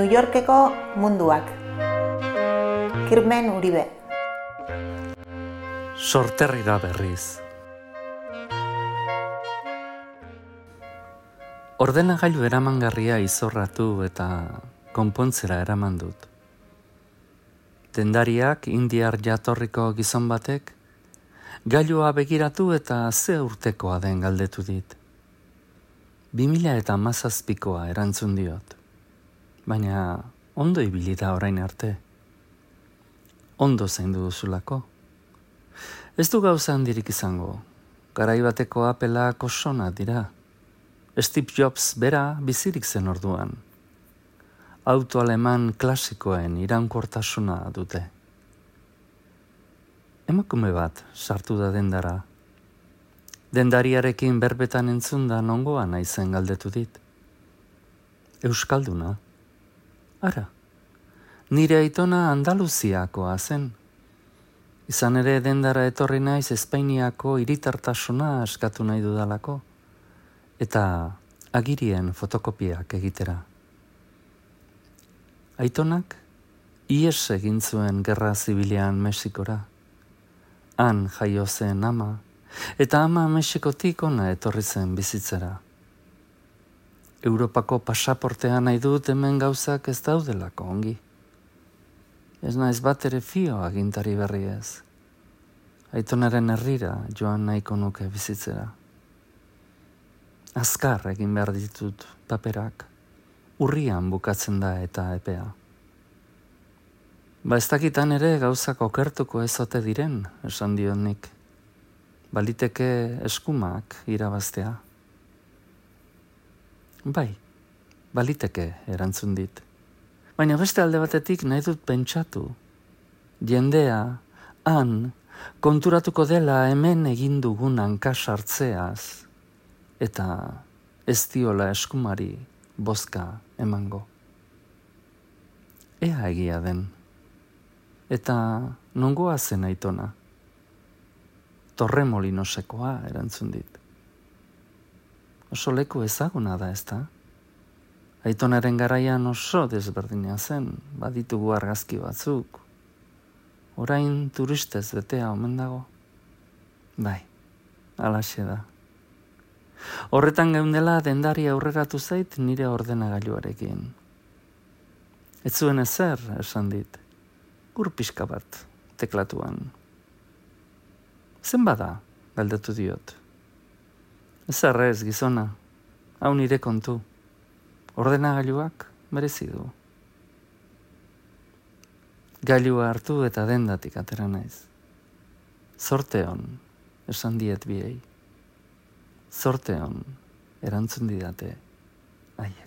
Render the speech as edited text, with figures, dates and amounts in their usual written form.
New Yorkeko munduak. Kirmen Uribe. Sorterrira berriz. Ordenagailu eramangarria izorratu eta konpontzera eraman dut. Dendariak indiar jatorriko gizon batek gailua begiratu eta ze urtekoa den galdetu dit. 2017koa erantzun diot. Baina ondo ibili da orain arte. Ondo zaindu duzulako. Ez du gauza handirik izango. Garai bateko Applea osona dira. Steve Jobs bera bizirik zen orduan. Auto aleman klasikoen iraunkortasuna dute. Emakume bat sartu da dendara. Dendariarekin berbetan entzunda nongoa naizen galdetu dit. Euskalduna. Ara, nire aitona Andaluziakoa zen. Izan ere dendara etorri naiz Espainiako hiritartasuna eskatu nahi dudalako. Eta agirien fotokopiak egitera. Aitonak ihes egin zuen gerra zibilean Mexikora. Han jaio zen ama, eta ama Mexikotik hona etorri zen bizitzera. Europako pasaportea nahi dut hemen gauzak ez daudelako ongi. Ez naiz bat ere fio agintari berri ez. Aitonaren herrira joan nahiko nuke bizitzera. Azkar egin behar ditut paperak, urrian bukatzen da eta epea. Ba ez dakitan ere gauzak okertuko ez ote diren, esan diot nik. Baliteke eskumak irabaztea. Bai, baliteke erantzun dit. Baina beste alde batetik nahi dut pentsatu. Jendea, han, konturatuko dela hemen egin dugun hanka sartzeaz, eta ez diola eskumari bozka emango. Ea egia den. Eta nongoa zen aitona. Torremolinosekoa erantzun dit. Oso leku ezaguna da ezta? Aitonaren garaian oso desberdina zen, baditugu argazki batzuk. Orain turistez betea omen dago. Bai, halaxe da. Horretan geundela dendari aurreratu zait nire ordenagailuarekin. Ez zuen ezer, esan dit. Ur pixka bat, teklatuan. Zen bada, galdetu diot. Ez arrez, gizona, hau nire kontu. Ordenagailuak merezi du. Gailua hartu eta dendatik atera naiz. Zorte on, esan diet biei. Zorte on, erantzun didate, haiek.